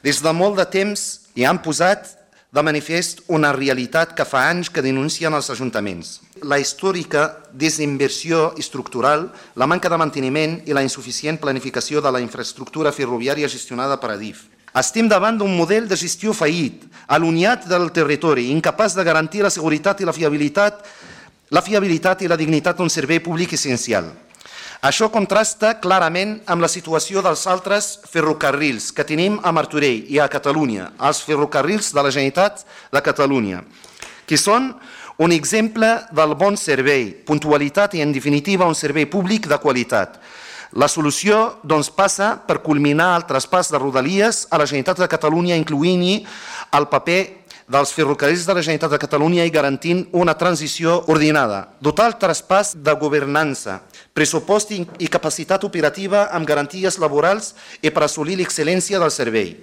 Des de molt de temps hi han posat de manifest una realitat que fa anys que denuncien els ajuntaments. La històrica desinversió estructural, la manca de manteniment i la insuficient planificació de la infraestructura ferroviària gestionada per Adif. Estem davant d'un model de gestió fallit, allunyat del territori, incapaç de garantir la seguretat i la fiabilitat i la dignitat d'un servei públic essencial. Això contrasta clarament amb la situació dels altres ferrocarrils que tenim a Martorell i a Catalunya, els ferrocarrils de la Generalitat de Catalunya, que són un exemple del bon servei, puntualitat i, en definitiva, un servei públic de qualitat. La solució, doncs, passa per culminar el traspàs de Rodalies a la Generalitat de Catalunya, incloent-hi el paper dels ferrocarrils de la Generalitat de Catalunya i garantint una transició ordenada. Dotar el traspàs de governança, pressupost i capacitat operativa amb garanties laborals i per assolir l'excel·lència del servei.